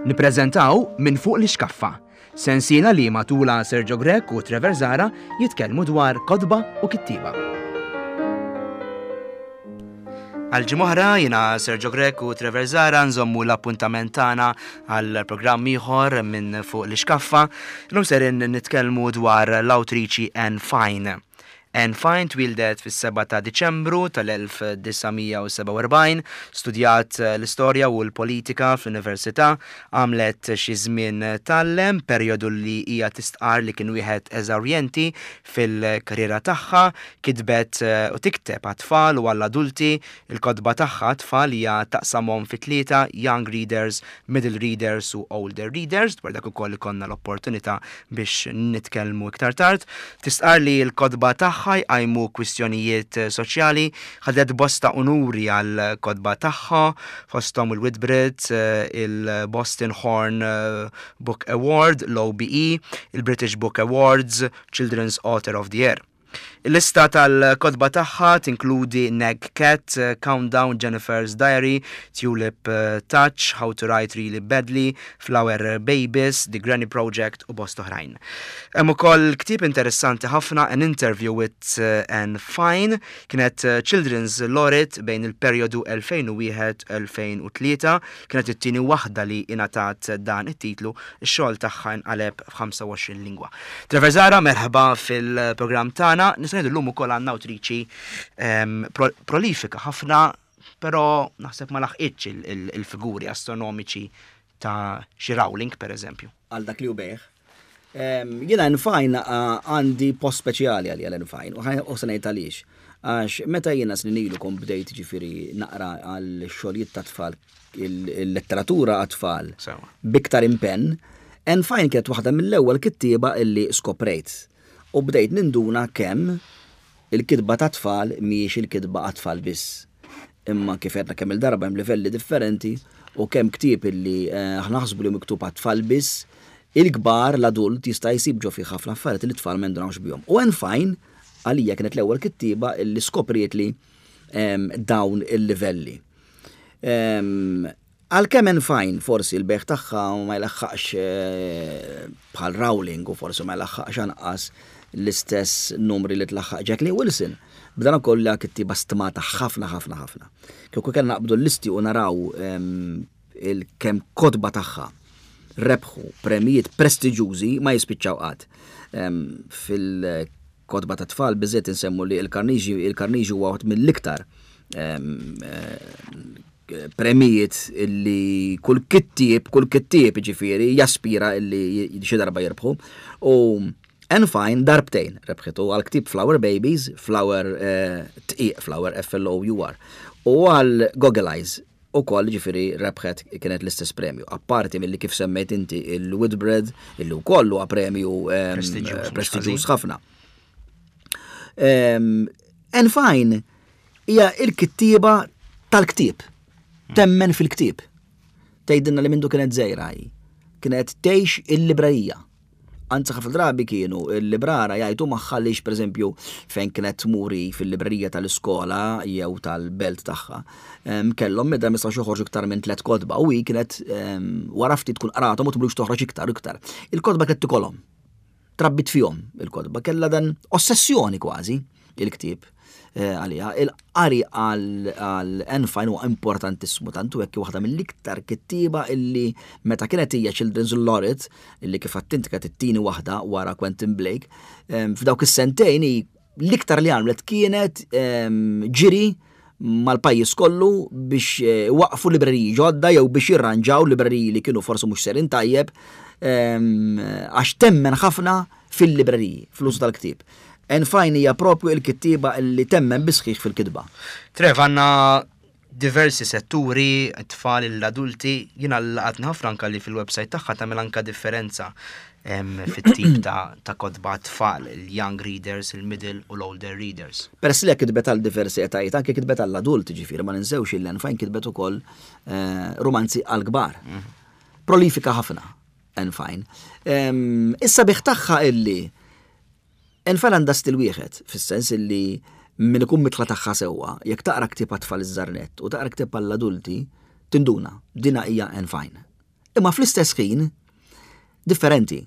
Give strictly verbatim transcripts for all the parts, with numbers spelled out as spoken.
Nippreżentaw Minn Fuq l-Ixkaffa, sensiela li matula Sergio Grech u Trevor Zara jitkellmu dwar kotba u kittieba. Għal ġimgħa jiena Sergio Grech u Trevor Zara nżommu l-appuntament tagħna għal programm ieħor Minn Fuq l-Ixkaffa. Illum serin nitkellmu dwar l-awtriċi Anne Fine. Anne Fine twildet fis-sebgħa ta' Diċembru tal-elf disa' mija u sebgħa u erbgħin, studjat l-istorja u l-politika fl-università, għamlet xi żmien tgħallem, perjodu li hija tistqar li kien wieħed eżawrjenti fil-karriera tagħha, kitbet u tikteb għat-tfal u għall-adulti, il-kotba tagħha għat-tfal hija taqsamhom fi tlieta, young readers, middle readers u older readers, dwar dak ukoll ikollna l-opportunità biex nitkellmu iktar tard. Tistqar li l-kotba tagħha jqajmu kwistjonijiet soċjali, ħadet bosta unuri għal kotba tagħha, fosthom il-Whitbread, il-Boston Horn Book Award, l-O B E, il-British Book Awards, Children's Author of the Year. Il-lista tal-kotba tagħha tinkludi Nag Cat, Countdown, Jennifer's Diary, Tulip Touch, How to Write Really Badly, Flower Babies, The Granny Project u bost oħrajn. Hemm ukoll ktieb interessanti ħafna, An Interview with Anne Fine, kienet Children's Laureate bejn il-perjodu elfejn u wieħed elfejn u tlieta, kienet it-tieni waħda li ingħatat dan it-titlu, ix-xogħol tagħha inqaleb f'ħamsa u għoxrin lingwa. Trevor Zara, merħba fil-programm tagħna. Nista' ngħidu llum ukoll għandna awtriċi, ehm, pro-, prolifika ħafna, però naħseb ma laħqitx il-, il-, il-figuri astronomiċi ta' xi Rowling, per eżempju. Għal dak li hu bejħ. Ehm, jiena Anne Fine, a-, għandi post speċjali għalija l-Anne Fine, u ħaj-, u se ngħid għaliex. Għax meta jiena snin ilu kont bdejt ġifieri naqra għal xogħlijiet ta' tfal, il-, il-letteratura għat-tfal Sewa. biktar impenn, Anne Fine kienet waħda mill-ewwel kittieba illi skoprejt. U bdejt ninduna kemm il-kitba ta' tfal mhijiex il-kitba għat-tfal biss. Imma kif għedna kemm il-darba hemm livelli differenti u kemm ktieb illi, eh, aħna naħsbu li miktub għat-tfal biss, il-kbar, l-adult jista' jsib ġo fih ħafna affarijiet li t-tfal ma jindunawx bihom. U Anne Fine għalija kienet l-ewwel kittieba illi skopriet li, ehm, dawn il-livelli. Ehm, għalkemm Anne Fine forsi l-beħ tagħha ma jlaħħaqx, eh, bħal Rowling u forsi ma jlaħħaqx anqas l-istess numri li tlaħħaq Jacqueline Wilson. B'dan ukoll li kittieba stmata ħafna, ħafna, ħafna. Kieku kellna naqbdu l-listi u naraw, ehm, il-kemm kotba tagħha rebħu premijiet prestiġjużi ma jispiċċaw qatt. Ehm, fil-kotba ta' tfal biżżejjed insemmu li il-Carnegie, il-Carnegie huwa waħed mill-iktar, ehm, eh, premijiet illi kull kittieb, kull kittieb ġifieri jaspira illi xi darba jirbħu. U Anne Fine darbtejn rebħitu għal ktieb Flower Babies, Flower, eh, tqiq, Flower F L O U R, u għal Goggle Eyes u koll ġifieri rebħet kienet l-istess premju. Apparti milli kif semmejt inti il-Whitbread, illi wkoll huwa premju, ehm, Prestiġjuż, mhux prestiġjuż ħażin. ħafna. Ehm, Anne Fine hija il-kittieba tal-ktieb, temmen fil-ktieb. Tgħidilna li mindu kienet żgħira hi, kienet tgħix il-librerija. Anzi ħafna drabi kienu il-librara jgħidu magħha lix pereżempju fejn kienet tmuri fil-librerija tal-iskola jew tal-belt tagħha, em, kellhom meta ma jistgħux joħorġu iktar minn tliet kotba u hi kienet, em, wara ftit tkun qrathom u tmurux toħroġ iktar u iktar. Il-kotba kienet tikolhom. Trabbit fihom il-kotba, kellha dan ossessjoni kważi il-ktieb, eh, għaliha. Il-qari għal, għal Anne Fine huwa importantissimu, tantu hekk waħda mill-iktar kittieba illi meta kienet hija Children's Laureate, illi kif għadt inti kienet it-tieni waħda wara Quentin Blake, em, f'dawk is-sentejn hi l-iktar li għamlet kienet, em, ġiri mal-pajjiż kollu biex, eh, waqfu libreriji ġodda jew biex jirranġaw libreriji li kienu forsi mhux serin tajjeb, em, għax temmen ħafna fil-libreriji, fl-użu tal-ktieb. Anne Fine hija propju il-kittieba li temmen bisħiħ fil-kitba. Trev, għandna diversi setturi, t-tfal, l-adulti, jiena laqatni ħafna anka li fil-website tagħha tagħmel anka differenza, em, fit-tip ta', ta' kotba tfal, il-young readers, il-middle u l-older readers. Peress li kitbet għal diversi etajiet, anke kitbet għall-adulti ġifieri, ma ninsewx il Anne Fine kitbet ukoll, eh, romanzi għall-kbar. Mhm. Prolifika ħafna, Anne Fine. Em, issa bih tagħha illi Anne Fine għandha stil wieħed, fis-sens illi min ikun mitla tagħha sewwa, jekk taqra ktieb għat-tfal iż-żarnett u taqra ktieb għall-adulti, tinduna, dina hija Anne Fine. Imma fl-istess ħin differenti.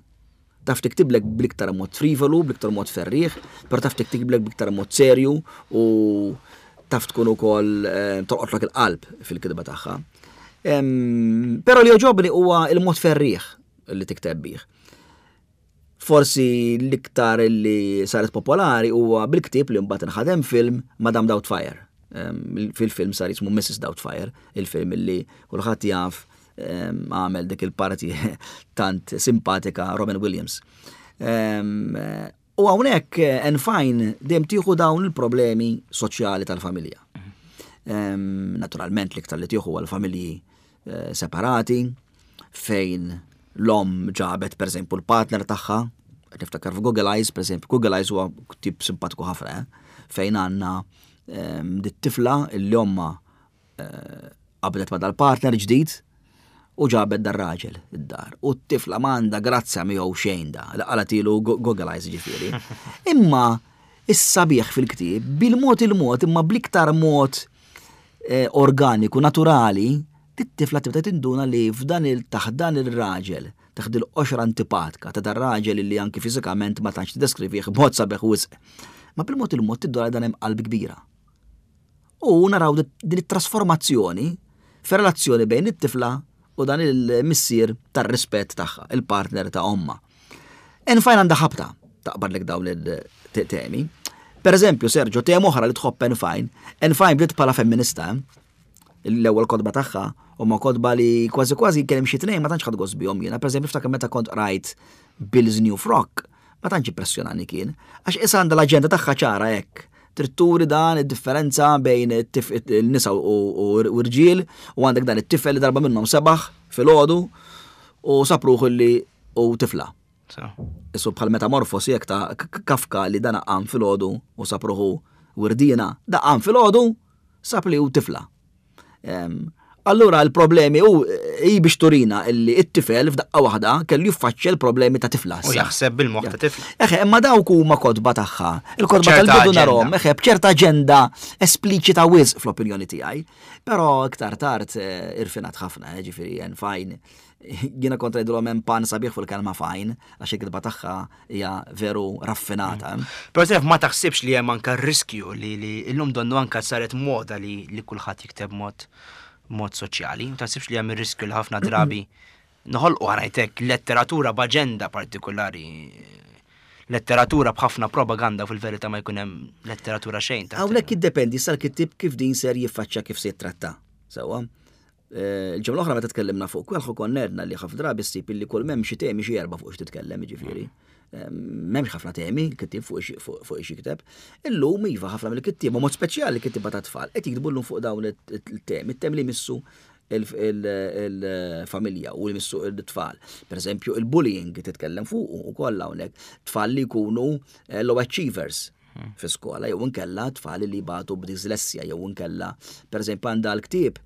Taf tiktiblek bl-iktar mod frivolu, bl-iktar mod ferrieħ, però taf tiktiblek bl-iktar mod serju u taf tkun ukoll eh, tolqotlok il-qalb fil-kitba tagħha. Però li jogħġobni huwa il-mod ferrieħ li tikteb bih. Forsi l-iktar li saret popolari huwa bil-ktieb li mbagħad inħadem film Madame Doubtfire. Fil-film sar jismu Missus Doubtfire, il-film li kulħadd jaf għamel dik il-parti tant simpatika Robin Williams. U hawnhekk Anne Fine dejjem tieħu dawn il-problemi soċjali tal-familja. Naturalment l-iktar li tieħu għal-familji eh, separati, fejn l-omm ġabet per eżempju l-partner tagħha, niftakar f'Google Eyes, per eżempju, Google Eyes huwa tip simpatiku ħafna, eh, fejn għandna dit-tifla li omma eh, qabdet ma dal-partner ġdid u ġabet dar-raġel id-dar. U t-tifla m'għandha grazzja miegħu xejn da, li qalatilu Google Eyes ġifieri. Imma is-sabiħ fil-ktieb bil-mod il-mod imma bl-iktar mod eh, organiku, naturali, it-tifla tibda tinduna li f'dan il taħt dan il-raġel, taħt il-qoxra antipatika ta' dan raġel li anki fiżikament ma tantx tiddeskrivih b'mod sabiħ wisq. Ma bil-mod il-mod tinduna dan hemm qalb kbira. U naraw din it-trasformazzjoni fir-relazzjoni bejn it-tifla u dan il-missier tar-rispett tagħha, il-partner ta' omma. Anne Fine għandha ħabta taqbad lek dawn il-temi. Per eżempju, Sergio, tema oħra li tħobb Anne Fine, Anne Fine bdiet bħala femminista, l-ewwel kotba tagħha huma kotba li kważi kważi kien hemm xi tnejn ma tantx ħadt gost bihom jiena. Per eżempju, niftakar meta kont qrajt Bill's New Frock, ma tantx impressjonani kien, għax issa għandha l-aġenda tagħha ċara hekk. Trid turi dan id-differenza bejn il-nisa u r-rġiel u għandek dan it-tifel li darba minnhom sebaħ filgħodu u sab ruħu li u tifla. Isu bħal metamorfosi jekk ta' Kafka li dan qam filgħodu u sab ruħu wirdina, da qam filgħodu sab li hu tifla. Allura l-problemi u hi biex turina illi it-tifel f'daqqa waħda kellu jiffaċċja l-problemi ta' tifla. U jaħseb bil-moħħ ta' tifla. Eħe, imma dawk huma kotba tagħha. Il-kotba tal-bidu narhom, eħe, b'ċerta aġenda espliċita wisq fl-opinjoni tiegħi. Però iktar tard irfinat ħafna, ġifieri Anne Fine. Jiena kontra jgħidulhom hemm pan sabiħ fuq il-kelma fine, għax il-kitba tagħha hija veru raffinata. Però taf ma taħsibx li hemm anke riskju li llum donnu anke saret moda li kulħadd jikteb mod mod soċjali, ma taħsibx li hemm ir-riskju li ħafna drabi noħolqu ħanajtek letteratura b'aġenda partikolari, letteratura b'ħafna propaganda fil-verità ma jkun hemm letteratura xejn. Hawnhekk jiddependi sal kittieb kif din ser jiffaċċja kif se jittratta. Sewwa. Il-ġimgħa l-oħra meta tkellimna fuq Quelħu konna għedna li ħafna drabi ssib illi kull m'hemm xi temi xi erba' fuq x'titkellem, jiġifieri. M'hemmx ħafna temi kittieb fuq fuq xi kiteb. Illum iva ħafna mill-kittieba, mod speċjali kittieba ta' tfal, qed jiktbu llum fuq dawn it-temi, it-temi li missu il-familja u li missu il-tfal. Per eżempju, il-bullying titkellem fuq u kollha hawnhekk. Tfal li jkunu low achievers fi skola, jew inkella tfal li jbatu b'dislessja, jew inkella, per eżempju, għandha l-ktieb,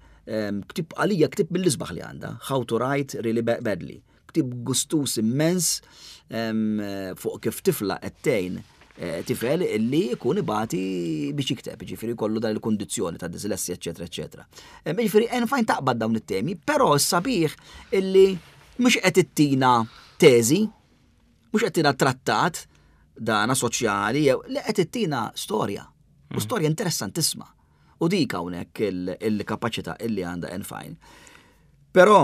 ktieb għalija ktieb mill-isbaħ li għandha, How to Write Really Badly. Ktieb gustus immens fuq kif tifla qed tgħin tifel illi jkun ibati biex jikteb, ġifieri kollu dan il-kundizzjoni ta' dislessja, eċetera, eċetera. Ġifieri Anne Fine taqbad dawn it-temi, però s-sabiħ illi mhux qed ittina teżi, mhux qed ittina trattat dana soċjali, jew li qed ittina storja. U storja interessantissima. U dik hawnhekk il-kapaċità illi għandha Anne Fine. Però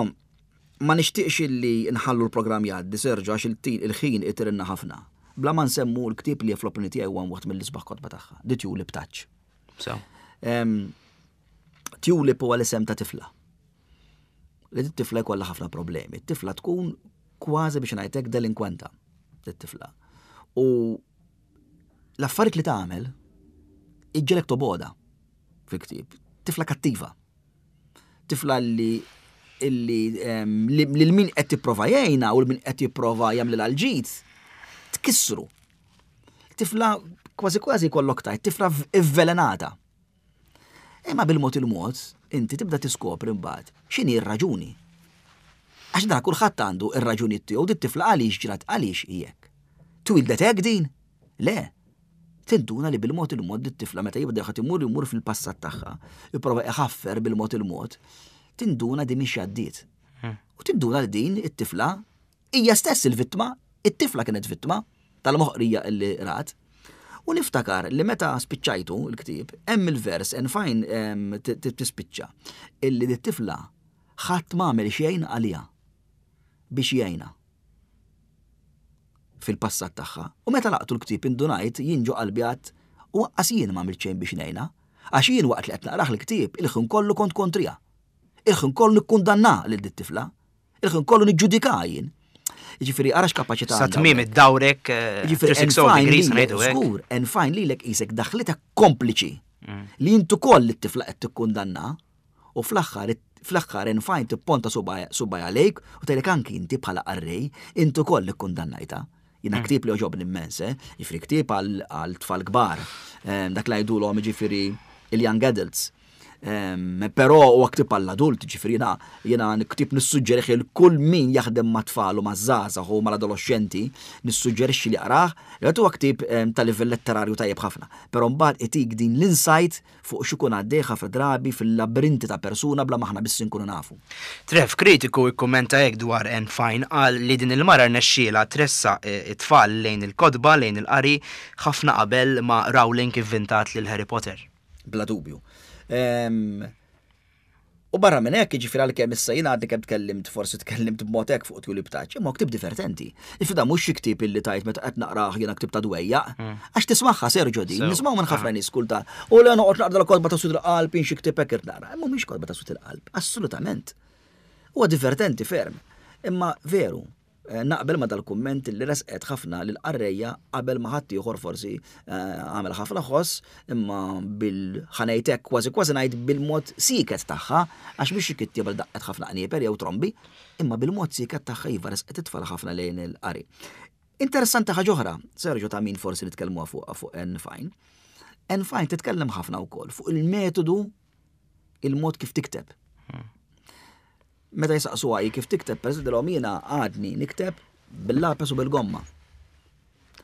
ma nixtieqx illi nħallu l-programm jgħaddi, Sergio, għax il-ħin itirinna ħafna. Bla ma nsemmu l-ktieb li fl-opinjoni tiegħi huwa waħda mill-isbaħ kotba tagħha, The Tulip Touch. Tulip huwa l-isem ta' tifla. Li t-tifla jkollha ħafna problemi. T-tifla tkun kważi biex ngħidlek delinkwenta, t-tifla. U l-affarijiet li tagħmel iġġelek toboda fil-ktieb. Tifla kattiva. Tifla li illi lil min qed jipprova jgħinha u lil min qed jipprova jagħmlilha l-ġid tkissru. Tifla kważi kważi kollok tajt, tifla ivvelenata. Imma bil-mod il-mod, inti tibda tiskopri mbagħad x'inhi r-raġuni. Għax dan kulħadd għandu r-raġuni tiegħu, dit tifla għaliex ġrat għaliex hi hekk. Twildet hekk din? Le. Tinduna li bil-mod il-mod dit tifla meta jibda ħadd imur imur fil-passat tagħha, jipprova iħaffer bil-mod il-mod, tinduna di mhix għaddiet. U tinduna li din it-tifla hija stess il-vittma, it-tifla kienet vittma tal-moħqrija illi rat. U niftakar li meta spiċċajtu l-ktieb, hemm il-vers Anne Fine tispiċċa illi dit-tifla ħadd m'għamel xejn għaliha biex jgħinha fil-passat tagħha. U meta għalaqtu l-ktieb indunajt jien ġo qalbi għedt u lanqas jien m'għamilt xejn biex ngħinha. Għax jien waqt li qed naqrah l-ktieb il-ħin kollu kont kontriha. Il-ħin kollu nikkundanna lil dit-tifla. Il-ħin kollu niġġudika jien. Jiġifieri ara x'kapaċità. Sa tmiem id-dawrek eh, Jiġifieri three hundred sixty degrees ngħidu hekk. Żgur, Anne Fine lilek qisek daħlitek kompliċi Mm. li intu koll it-tifla qed tikkundanna u fl-aħħar fl-aħħar Anne Fine tipponta subgħajha lejk u tgħidlek anki inti bħala qarrej intu koll ikkundannajta. Jiena ktieb li għoġobni immens, eh? Jiġifieri ktieb għal tfal kbar, Em, dak li jgħidulhom jiġifieri il-young adults. Em, Però huwa ktieb għall-adult, ġifieri jiena jiena ktieb nissuġġerixxi lil kull min jaħdem ma' tfal u ma' żgħażagħ u mal-adolescenti, nissuġġerixxi li jaqrah, li huwa ktieb em, ta' livell letterarju tajjeb ħafna. Però mbagħad itik din l-insight fuq x'ikun għaddej ħafna drabi fil-labirinti ta' persuna bla maħna biss inkunu nafu. Trev, kritiku ikkummenta hekk dwar Anne Fine, qal li din il-mara rnexxiela tressaq eh, it-tfal lejn il-kotba, lejn il-qari, ħafna qabel ma Rowling ivvintat lil Harry Potter. Bla dubju. Em, U barra minn hekk, jiġifieri għalkemm issa jiena għadni kemm tkellimt, forsi tkellimt b'mod hekk fuq Tulip Touch, imma ktieb divertenti. Ifida mhux xi ktieb illi tajt meta qed naqrah jiena ktieb ta' dwejjaq, għax tismagħha, Sergio, din, Sew. nismgħu minn ħafna nies kultant. U le noqgħod naqra l-kotba ta' sud il-qalb, xi ktieb hekk irid naqra. Imma mhix kotba ta' sud il-qalb, assolutament. Huwa divertenti ferm. Imma veru, eh, naqbel ma dal-kumment li resqet ħafna lil qarrejja qabel ma ħadd ieħor forsi eh, għamel ħafna ħoss, imma bil ħanejtek kważi kważi ngħid bil-mod sieket tagħha, għax mhix xi kittieba li daqqet ħafna qnieper jew trombi, imma bil-mod sieket tagħha iva resqet it-tfal ħafna lejn il-qari. Interessanti ħaġa oħra, Sergio, ta' min forsi nitkellmu fuq fuq Anne Fine. Anne Fine titkellem ħafna wkoll fuq il-metodu, il-mod kif tikteb. Meta jisaqsu għaj kif tikteb, per eżempju, jiena għadni nikteb bil-lapes u bil-gomma.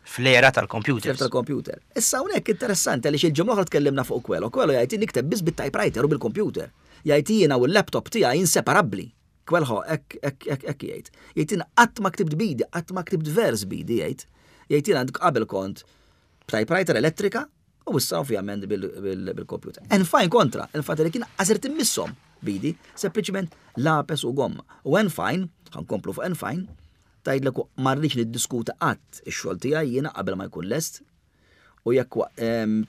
Fl-era tal-computers. Fl tal-computer. Issa hawnhekk interessanti għaliex il-ġimgħa l-oħra tkellimna fuq Coelho. Coelho jgħid nikteb biss bit-typewriter u bil-computer. Jgħid jiena u l-laptop tiegħi inseparabbli. Coelho hekk hekk hekk hekk jgħid. Jgħid jiena qatt ma ktibt bidi, qatt ma ktibt vers bidi jgħid. Jgħid jiena qabel kont typewriter elettrika u issa ovvjament bil-computer. Anne Fine kontra, il-fatt li kien għażirt immisshom bidi, sempliċement lapes u gomma. U Anne Fine, ħa nkomplu fuq Anne Fine, tgħidlek ma rridx niddiskuta qatt ix-xogħol tiegħi jiena qabel ma jkun lest u jekk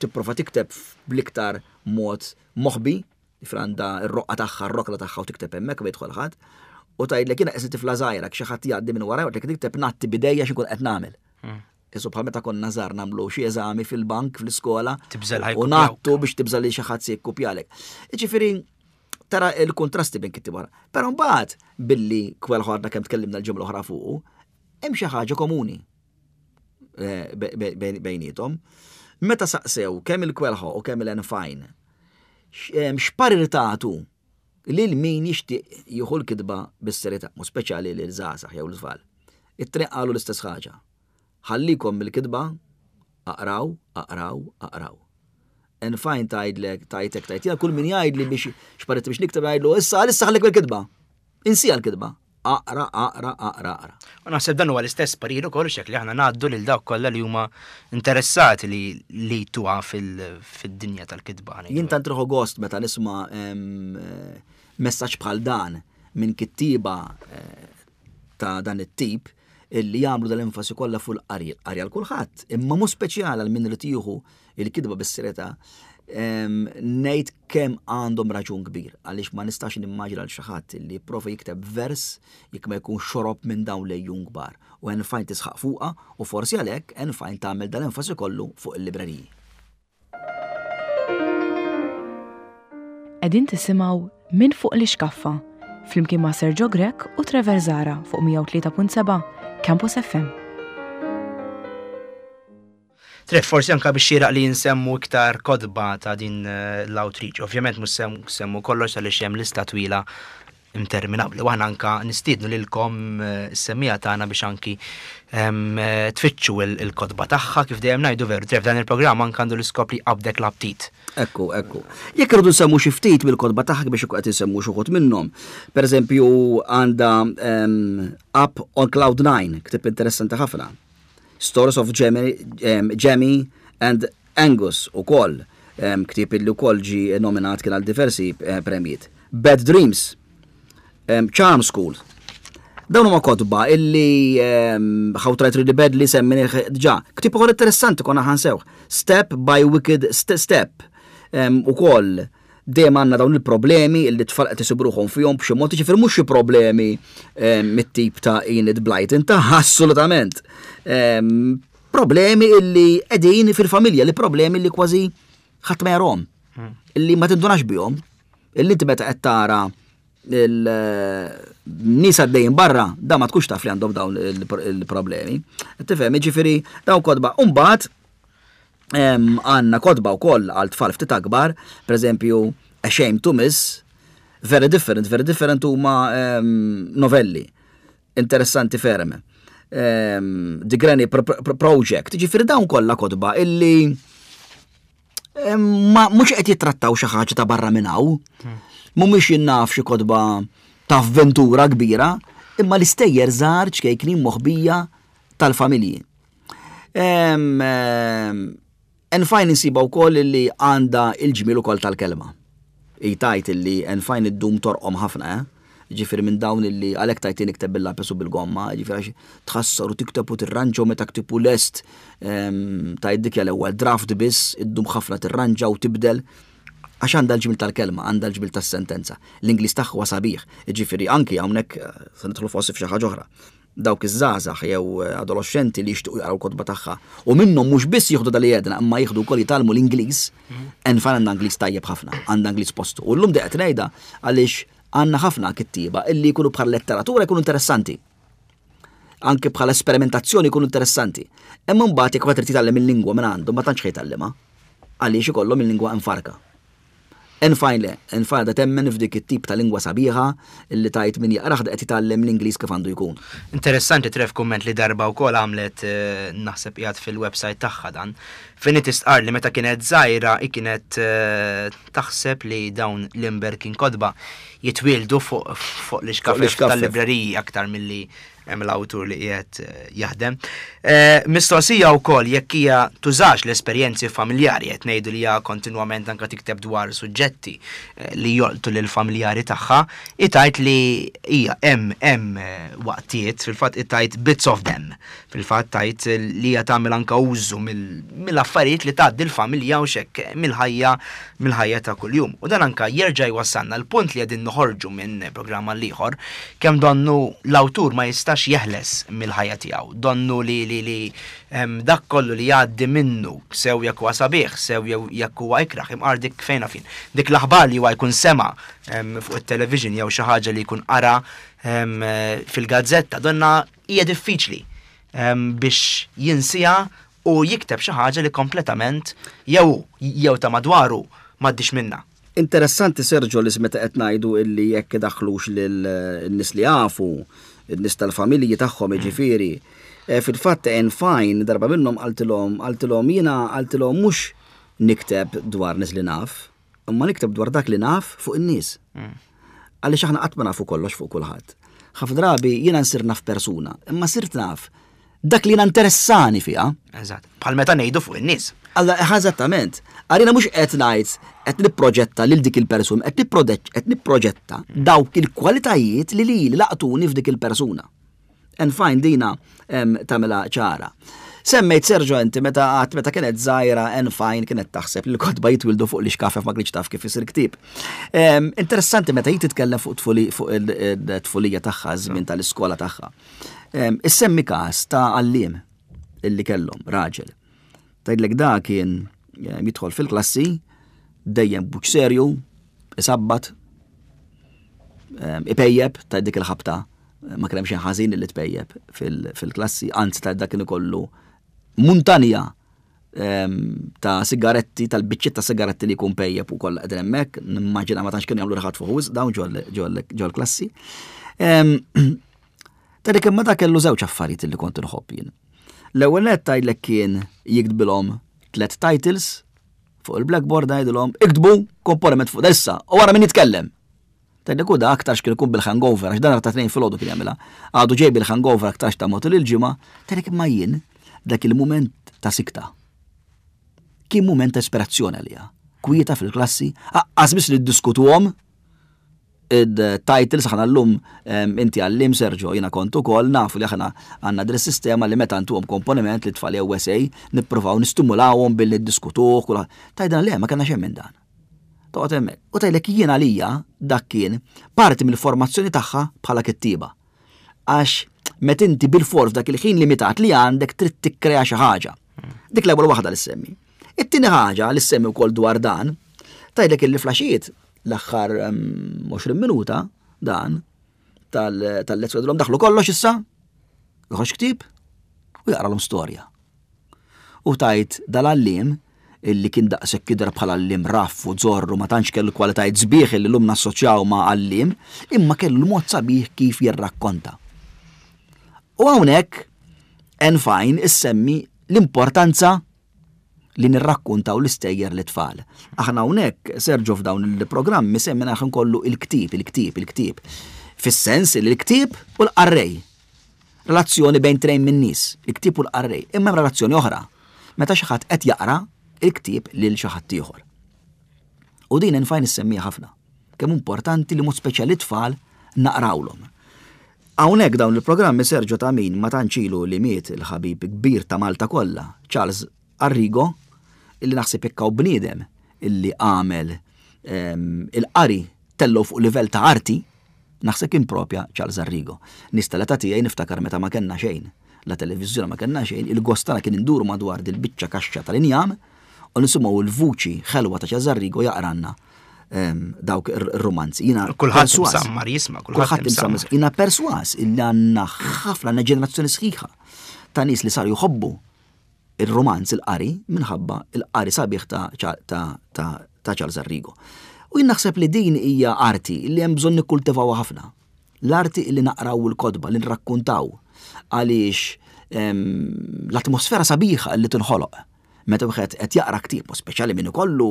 tipprova tikteb bl-iktar mod moħbi, franda r-roqqa tagħha, r-rokla tagħha u tikteb hemmhekk ma jidħol ħadd, u tgħidlek jiena qisni tifla żgħira xi ħadd jgħaddi minn wara u tikteb ngħatti b'idejja x'inkun qed nagħmel. Hmm. Isu bħal meta konna żgħar nagħmlu xi eżami fil-bank fl-iskola u ngħattu biex tibża li xi ħadd se jikkupjalek. Jiġifieri tara il-kontrasti bejn kittieb oħra. Però mbagħad billi Coelho għadna kemm tkellimna l-ġimgħa l-oħra fuqu, hemm xi ħaġa komuni eh, bejniethom. Meta saqsew kemm il-Coelho u kemm il-Anne Fine x'parir tagħtu lil min jixtieq jieħu l-kitba bis-serjetà, mu speċjali lil żgħażagħ jew l-tfal. It-tnejn qalu l-istess ħaġa. Ħallikom mill-kitba, aqraw, aqraw, aqraw. Anne Fine tgħidlek, tgħidlek, tgħid, kull min jgħidli biex x'parir biex nikteb jgħidlu, issa issa ħallik bil-kitba. Insija l-kitba. Aqra, aqra, aqra, aqra. U naħseb dan huwa l-istess parir ukoll xek li aħna ngħaddu lil dawk kollha li huma interessati li li tuha fid-dinja tal-kitba. Jien tant nieħu gost meta nisma' messaġġ bħal dan minn kittiba eh, ta' dan it-tip illi jagħmlu dal-enfasi kollha fuq il-qari, qari għal kulħadd, imma mhux speċjali għal min irid jieħu il-kitba bis-serjetà, ngħid kemm għandhom raġun kbir, għaliex ma nistax nimmaġina għal xi ħadd li jipprova jikteb vers jekk ma jkun xorob minn dawn l-għejun kbar. U Anne Fine tisħaq fuqha u forsi għalhekk Anne Fine tagħmel dal-enfasi kollu fuq il-libreriji. Qegħdin tisimgħu Minn Fuq l-Ixkaffa flimkien ma' Sergio Grech u Trevor Zara fuq mija u tlieta punt seba' Campus F M. Trev, forsi anka biex xieraq li nsemmu iktar kotba ta' din eh, l-awtriċi. Ovvjament mhux semmu kollox għaliex hemm lista twila interminabbli. U aħna anka nistiednu lilkom eh, s-semmiegħa tagħna biex anki em, eh, tfittxu il- il-kotba tagħha. Kif dejjem ngħidu, veru, Trev, dan il-programm anka għandu l-iskop li jqabdek l-aptit. Ekku, ekku. Jekk irridu nsemmu xi ftit mill-kotba tagħha biex ikun qed insemmu xi wħud minnhom. Per eżempju, għandha um, Up on Cloud nine, ktieb interessanti ħafna. Stories of Jamie, um, Jamie and Angus ukoll, um, ktieb illi wkoll ġi nominat kien għal diversi eh, premijiet. Bad Dreams, um, Charm School. Dawn huma kotba illi um, How to Write Really Badly semmejnieh diġà. Ktieb ukoll interessanti konna ħa nsewh. Step by Wicked St Step. Um, ukoll dejjem għandna dawn il-problemi illi tfal qed isibruhom fihom b'xi mod, jiġifieri mhux xi problemi um, mit-tip ta' Enid Blyton ta' assolutament. Um, problemi illi qegħdin fil-familja, li problemi li kważi ħadd ma jarahom. Illi ma tindunax bihom. Illi inti meta qed tara il-nies għaddejjin barra, da ma tkunx taf li għandhom dawn il-problemi. Tifhem, jiġifieri dawn kotba. Umbagħad għandna kotba wkoll għal tfal ftit akbar, per eżempju, A Shame to Miss, Very Different. Very Different huma novelli, interessanti ferm. The Granny Project, ġifieri dawn kollha kotba illi ma mhux qed jittrattaw xi ħaġa ta' barra minn hawn. Mhumiex jinnaf xi kotba ta' avventura kbira, imma l-istejjer żgħar ċkejknin moħbija tal-familji. Anne Fine insiba wkoll li għandha il-ġmiel ukoll tal-kelma. Tgħid illi Anne Fine iddum torqom ħafna, eh? Ġifieri minn dawn illi għalhekk tgħid nikteb bil-lapis u bil-gomma, ġifieri għax tħassar u tikteb u tirranġa u meta ktibu lest tgħid dik l-ewwel draft biss, iddum ħafna tirranġa u tibdel għax għandha l-ġmiel tal-kelma, għandha l-ġmiel tas-sentenza. L-Ingliż tagħha huwa sabiħ, ġifieri anki hawnhekk eh, se nidħlu forsi f'xi ħaġa oħra. Dawk iż-żgħażagħ jew eh, adolescenti li jixtiequ jaqraw kotba tagħha u minnhom mhux biss jieħdu dal jedna imma jieħdu wkoll jitgħallmu l-Ingliż, Anne Fine għandha Ingliż tajjeb ħafna, għandha Ingliż postu. U llum qed ngħidha għaliex għandna ħafna kittieba illi jkunu bħal letteratura jkunu interessanti. Anke bħal esperimentazzjoni jkunu interessanti. Imma mbagħad jekk trid titgħallem il-lingwa minn għandhom ma tantx jitgħallimha. Għaliex ikollhom il-lingwa infarka. Anne Fine le, Anne Fine da temmen f'dik it-tip ta' lingwa sabiħa illi tgħid min jaqrah qed jitgħallem l-Ingliż kif għandu jkun. Interessanti, Trev, kumment li darba wkoll għamlet, eh, naħseb qiegħed fil-website tagħha dan. Fejn tistqar li meta kienet żgħira hi kienet eh, taħseb li dawn l-imberkin kotba jitwieldu fuq fuq l-ixkafef l-ixkafef. tal-libreriji aktar milli hemm l-awtur li qiegħed eh, jaħdem. Eh, Mistoqsija wkoll jekk hija tużax l-esperjenzi familjari, qed ngħidu li hija kontinwament anke tikteb dwar suġġetti eh, li jolqtu lil familjari tagħha, tgħid li hija hemm hemm eh, waqtiet, fil-fatt tgħid "bits of them". Fil-fatt tgħid li hija tagħmel anke użu mill- mill-affarijiet li tgħaddi l-familja u xek mill-ħajja mill-ħajja ta' kuljum. U dan anka jerġa' jwassalna l-punt li qegħdin noħorġu minn programm għal ieħor, kemm donnu l-awtur ma jistax jeħles mill-ħajja tiegħu. Donnu li li li em, dak kollu li jgħaddi minnu, sew jekk huwa sabiħ, sew jew jekk huwa ikraħ, imqar dik fejna fin. Dik l-aħbar li huwa jkun sema em, fuq it-television jew xi ħaġa li jkun qara em, fil-gazzetta, donna hija diffiċli em, biex jinsija u jikteb xi ħaġa li kompletament jew jew ta' madwaru m'għaddix minna. Interessanti, Sergio, li meta qed ngħidu illi jekk daħlux lil-nies li jafu, in-nies tal-familji tagħhom jiġifieri. Eh, Fil-fatt Anne Fine darba minnhom qaltilhom qaltilhom jiena, qaltilhom, mhux nikteb dwar nies li naf, imma nikteb dwar dak li naf fuq in-nies. Għaliex aħna qatt ma nafu kollox fuq kulħadd. Ħafna drabi jiena nsir naf persuna, imma sirt naf dak li jiena interessani fiha. Eżatt. Bħal meta ngħidu fuq in-nies. Alla, eżattament. Għalina mhux qed ngħid qed nipproġetta lil dik il-persuna, qed nipproġett qed nipproġetta dawk il-kwalitajiet li li laqtuni f'dik il-persuna. Anne Fine dina em, tagħmilha ċara. Semmejt, Sergio, inti meta għat meta kienet żgħira Anne Fine kienet taħseb li l-kotba jitwildu fuq l-ixkafef, ma kienx taf kif isir ktieb. Em, Interessanti meta hi titkellem fuq tfuli fuq il-tfulija tagħha, żmien tal-iskola tagħha. Em, Issemmi każ ta' għalliem illi kellhom raġel. Tgħidlek da kien eh, jidħol fil-klassi dejjem b'wiċċ serju, isabbat, em, ipejjeb ta' dik il-ħabta, ma kien hemm xejn ħażin li tpejjeb fil- fil-klassi, anzi ta' dak kien ikollu muntanja ta' sigaretti, tal-biċċiet ta' sigaretti li jkun pejjep u kollha qegħdin hemmhekk, nimmaġina ma tantx kienu jagħmlu riħat fuq dawn ġol klassi. Tgħidlek imma da kellu żewġ affarijiet li kont inħobb jien. L-ewwel nett tgħidlek kien jiktbilhom tliet titles fuq il-blackboard, ngħidilhom iktbu komponiment fuq issa u wara min jitkellem. Tgħidlek u da aktarx kien ikun bil-hangover, għax dan ta' tnejn filgħodu kien jagħmilha. Għadu ġej bil-hangover aktarx ta' matul il-ġimgħa, tgħidlek imma jien dak il-mument ta' sikta. Kien mument ta' ispirazzjoni għalija. Kwieta fil-klassi, lanqas biss li ddiskutuhom id-titles. Aħna llum, inti għalliem, Sergio, jiena kont ukoll, nafu li aħna għandna din sistema li meta ntuhom komponiment lit-tfal jew essay nippruvaw nistimulawhom billi ddiskutuh. Tgħidna le, ma kellna xejn minn dan. Toqgħod hemmhekk. U tgħidlek jien għalija dak kien parti mill-formazzjoni tagħha bħala kittiba. Għax met inti bil-fors dak il-ħin limitat li għandek trid tikkrea xi ħaġa. Dik l-ewwel waħda li semmi. It-tieni ħaġa li semmi wkoll dwar dan, tgħidlek illi flaxijiet l-aħħar għoxrin minuta dan tal-lezzjoni daħlu kollox issa, joħroġ ktieb u jaqralhom storja. U tajt dal-għalliem illi kien daqshekk kidra bħala għalliem raff u zorru, ma tantx kellu kwalitajiet sbieħ illi llum nassoċjaw ma' għalliem, imma kellu l-mod sabiħ kif jirrakkonta. U hawnhekk Anne Fine issemmi l-importanza li nirrakkuntaw l-istejjer lit-tfal. Aħna hawnhekk, Sergio, f'dawn il-programmi semmina ħin kollu il-ktieb, il-ktieb, il-ktieb. Fis-sens li l-ktieb u l-qarrej. Relazzjoni bejn tnejn minn nies, il-ktieb u l-qarrej. Imma hemm relazzjoni oħra. Meta xi ħadd qed jaqra il-ktieb lil xi ħadd ieħor. U din Anne Fine issemmija ħafna. Kemm importanti li mod speċjali tfal naqrawlhom. Hawnhekk dawn il-programmi, Sergio, ta' min ma tantx ilu li miet il-ħabib kbir ta' Malta kollha, Charles Arrigo, illi naħseb jekk hawn bniedem illi għamel il-qari tellu fuq livell ta' arti, naħseb kien propja Charles Arrigo. Nista' l tiegħi niftakar meta ma kellna xejn, la televiżjoni ma kellna xejn, il-gost tagħna kien induru madwar dil-biċċa kaxxa tal-injam u nisimgħu l-vuċi ħelwa ta' Charles Arrigo jaqranna dawk ir-romanzi. Jiena Kulħadd imsammar jisma', kulħadd imsammar. Jiena perswas illi għandna ħafna, għandna ġenerazzjoni sħiħa ta' nies li saru jħobbu il-romanz, il-qari, minħabba il-qari sabiħ ta', ta, ta, ta Charles Arrigo. U jien naħseb li din hija arti li hemm bżonn nikkultivawha ħafna. L-arti li naqraw il-kotba, li nrakkuntaw, għaliex l-atmosfera sabiħa li tinħoloq meta wieħed qed jaqra ktieb, u speċjali min ikollu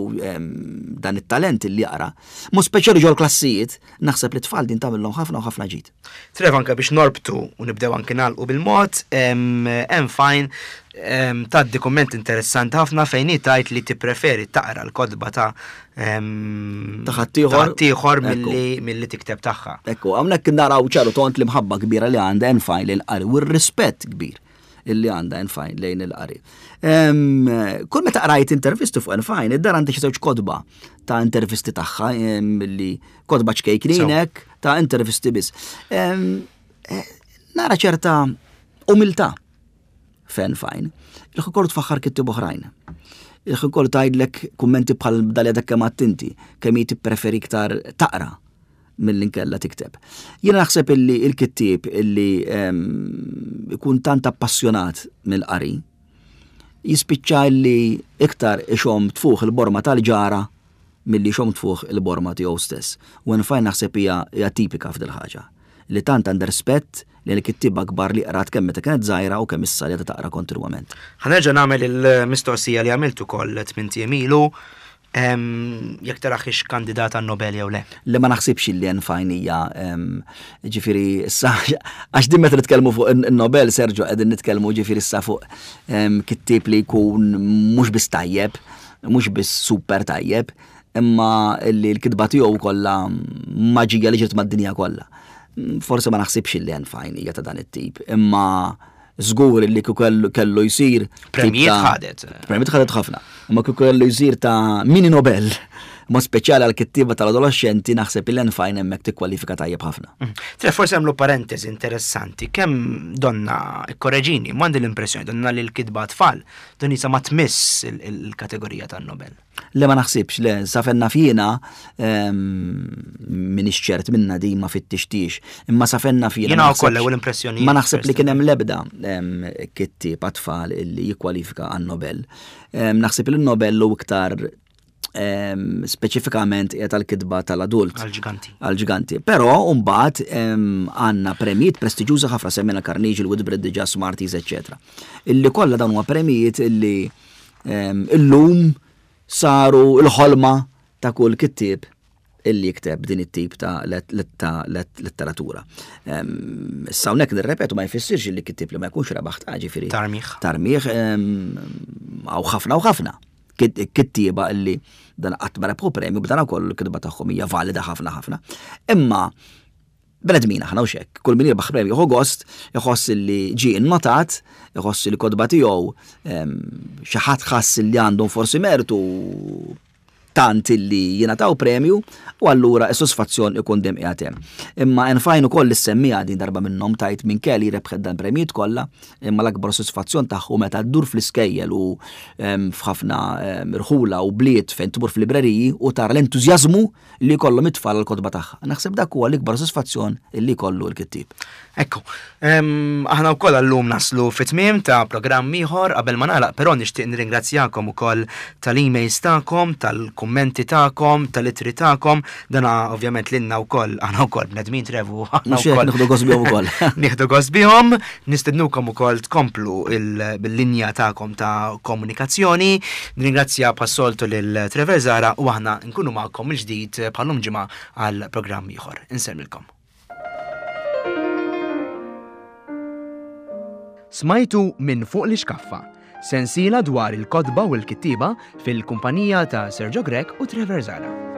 dan it-talent li jaqra, mu speċjali ġol klassijiet, naħseb li tfal din tagħmilhom ħafna u ħafna ġid. Trev, anke biex norbtu u nibdew anke nagħlqu bil-mod, hemm Fine tgħaddi kumment interessanti ħafna fejn hi tgħid li tippreferi taqra l-kotba ta' ta' ħaddieħor ħaddieħor milli milli tikteb tagħha. Ekku, hawnhekk naraw ċaru tont l-imħabba kbira li għandha Anne Fine lil-qari u r-rispett kbir illi għandha Anne Fine lejn il-qari. Kull meta qrajt intervisti fuq Anne Fine, id-dar għandi xi żewġ kotba ta' intervisti tagħha, li kotba ċkejkninek ta' intervisti biss. Eh, nara ċerta umiltà f'Anne Fine. Il-ħin kollu tfaħħar kittieb oħrajn. Il-ħin kollu tgħidlek kummenti bħal dali dak kemm inti, kemm hi tippreferi iktar taqra mill inkella tikteb. Jiena naħseb illi il-kittieb illi ikun tant appassjonat mill-qari jispiċċa illi iktar ixom tfuħ il-borma tal-ġara milli xom tfuħ il-borma tiegħu stess. U Fine naħseb hija hija tipika f'dil ħaġa li tant għandha rispett li l-kittieba kbar li qrat kemm meta kienet żgħira u kemm issa li taqra kontinwament. Ħa nerġa' nagħmel il-mistoqsija li għamilt ukoll tmint ijiem ilu, jekk taraħix kandidata Nobel jew le. Li ma naħsibx li Anne Fine hija, ġifieri issa, għax din meta nitkellmu fuq in-Nobel, Sergio, qegħdin nitkellmu ġifieri issa fuq kittieb li jkun mhux biss tajjeb, mhux biss super tajjeb, imma li l-kitba tiegħu kollha maġija li ġiet mad-dinja kollha. Forse ma naħsibx li Anne Fine hija ta' dan it-tip, imma żgur li kieku kellu jsir Premijiet ħadet. Premijiet ħadet ħafna. Imma kieku kellu jsir ta' mini Nobel. Mod speċjali għal kittieba tal-adolescenti, naħseb il Fine hemmhekk tikkwalifika tajjeb ħafna. Mm. Tre, forsi għamlu parentesi interessanti, kemm donna, korreġini, m'għandi l-impressjoni donna li l-kitba tfal, don jisa ma tmiss il-kategorija tan-Nobel. Le, ma naħsibx, le, sa fejn naf jiena, m'iniex ċert minna di, ma fittixtix, imma sa fejn naf jiena. Jiena wkoll l impressjoni. Ma naħseb li kien hemm l-ebda kittieb tfal illi jikkwalifika għan-Nobel. Naħseb li n-Nobel u iktar speċifikament qiegħed tal-kitba tal-adult. Għal-ġiganti. Għal-ġiganti. Però mbagħad għandna premijiet prestiġjuża ħafna, semmejna Carnegie, il-Whitbread diġà, Smarties, eċetera. Illi kollha dawn huma premijiet illi illum saru l-ħolma ta' kull kittieb illi jikteb din it-tip ta' letteratura. Issa hawnhekk nirrepetu, ma jfissirx li kittieb li ma jkunx rebaħ ta' ġifieri. Tarmiħ. Tarmiħ, għaw ħafna u ħafna kittieba illi dan qatt ma rebħu premju, b'dan ukoll il-kitba tagħhom hija valida ħafna ħafna. Imma bnedmin aħna u xek, kull min jirbaħ premju jieħu gost, iħoss li ġie innotat, iħoss li kotba tiegħu xi ħadd ħass li għandhom forsi mertu tant illi jingħataw premju, u allura s-sodisfazzjon ikun dem qiegħed hemm. Imma Anne Fine ukoll issemmija din darba minnhom tajt minn kelli rebħet dan premijiet kollha, imma l-akbar sodisfazzjon tagħhu meta ddur fl-iskejjel u f'ħafna irħula u bliet fejn tmur fil-libreriji u tara l-entużjażmu li jkollhom it-tfal għall-kotba tagħha. Naħseb dak huwa l-ikbar sodisfazzjon li jkollu l-kittieb. Ekku, aħna wkoll għallum naslu fit-tmiem ta' programm ieħor. Qabel ma nagħlaq però nixtieq nirringrazzjakom ukoll tal-emails tagħkom, tal-kummenti tagħkom, tal-ittri tagħkom, dana ovvjament lilna wkoll, aħna wkoll bnedmin, Trevu, aħna wkoll. Nieħdu gost bihom ukoll. Nieħdu gost bihom, nistednukom ukoll tkomplu bil-linja tagħkom ta' komunikazzjoni. Nirringrazzja bħas-soltu lil Trevor Zara u aħna nkunu magħkom il-ġdid bħallum ġimgħa għal programm ieħor. Insellmilkom. Smajtu Minn Fuq l-Ixkaffa, sensiela dwar il-kotba u l-kittieba fil-kumpanija ta' Sergio Grech u Trevor Zara.